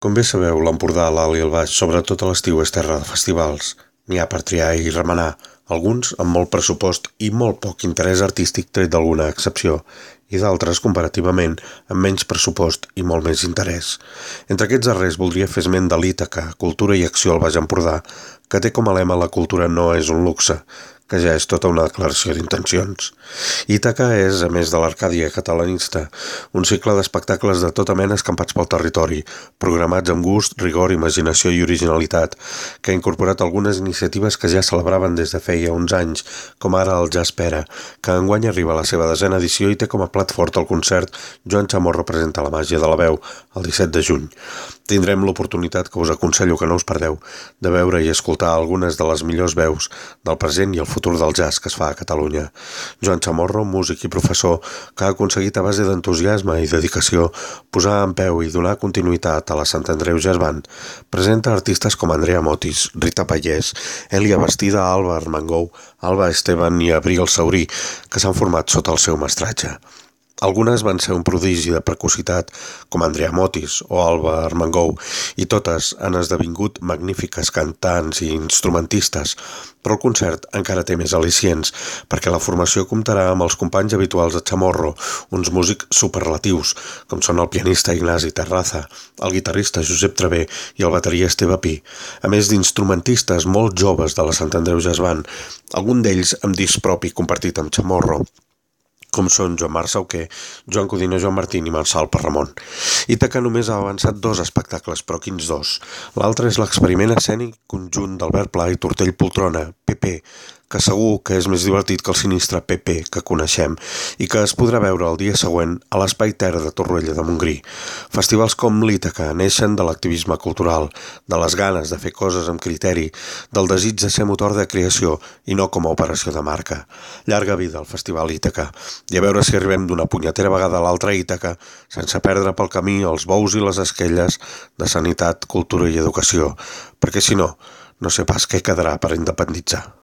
Com bé sabeu, l'Empordà, l'Alt i el Baix, sobretot a l'estiu, és terra de festivals. N'hi ha per triar i remenar, alguns amb molt pressupost i molt poc interès artístic tret d'alguna excepció, i d'altres, comparativament, amb menys pressupost i molt més interès. Entre aquests darrers voldria fer esment de l'Ítaca, Cultura i Acció al Baix Empordà, que té com a lema "La cultura no és un luxe", que ja és tota una declaració d'intencions. Ítaca és, a més de l'Arcàdia catalanista, un cicle d'espectacles de tota mena escampats pel territori, programats amb gust, rigor, imaginació i originalitat, que ha incorporat algunes iniciatives que ja celebraven des de feia uns anys, com ara el Jazz Pera, que enguany arriba a la seva 10a edició i té com a plat fort el concert Joan Chamorro presenta la màgia de la veu, el 17 de juny. Tindrem l'oportunitat, que us aconsello que no us perdeu, de veure i escoltar algunes de les millors veus del present i el futur del jazz que es fa a Catalunya. Joan Chamorro, músic i professor, que ha aconseguit a base d'entusiasme i dedicació posar en peu i donar continuïtat a la Sant Andreu Jazz Band, presenta artistes com Andrea Motis, Rita Pallès, Elia Bastida, Alba Armengou, Alba Esteban i Abril Saurí, que s'han format sota el seu mestratge. Algunes van ser un prodigi de precocitat, com Andrea Motis o Alba Armengou, i totes han esdevingut magnífiques cantants i instrumentistes, però el concert encara té més al·licients, perquè la formació comptarà amb els companys habituals de Chamorro, uns músics superlatius, com són el pianista Ignasi Terraza, el guitarrista Josep Travé i el bateria Esteve Pi, a més d'instrumentistes molt joves de la Sant Andreu Jazz Band, algun d'ells amb disc propi compartit amb Chamorro, com són Joan Marc Sauquer, Joan Codina, Joan Martín i Marçal Parramon. Ítaca només ha avançat 2 espectacles, però quins 2? L'altre és l'experiment escènic conjunt d'Albert Pla i Tortell Poltrona, PP, que segur que és més divertit que el sinistre PP que coneixem i que es podrà veure el dia següent a l'Espai Terra de Torroella de Montgrí. Festivals com l'Ítaca neixen de l'activisme cultural, de les ganes de fer coses amb criteri, del desig de ser motor de creació i no com a operació de marca. Llarga vida al Festival Ítaca i a veure si arribem d'una punyetera vegada a l'altra Ítaca sense perdre pel camí els bous i les esquelles de sanitat, cultura i educació, perquè si no, no sé pas què quedarà per independitzar.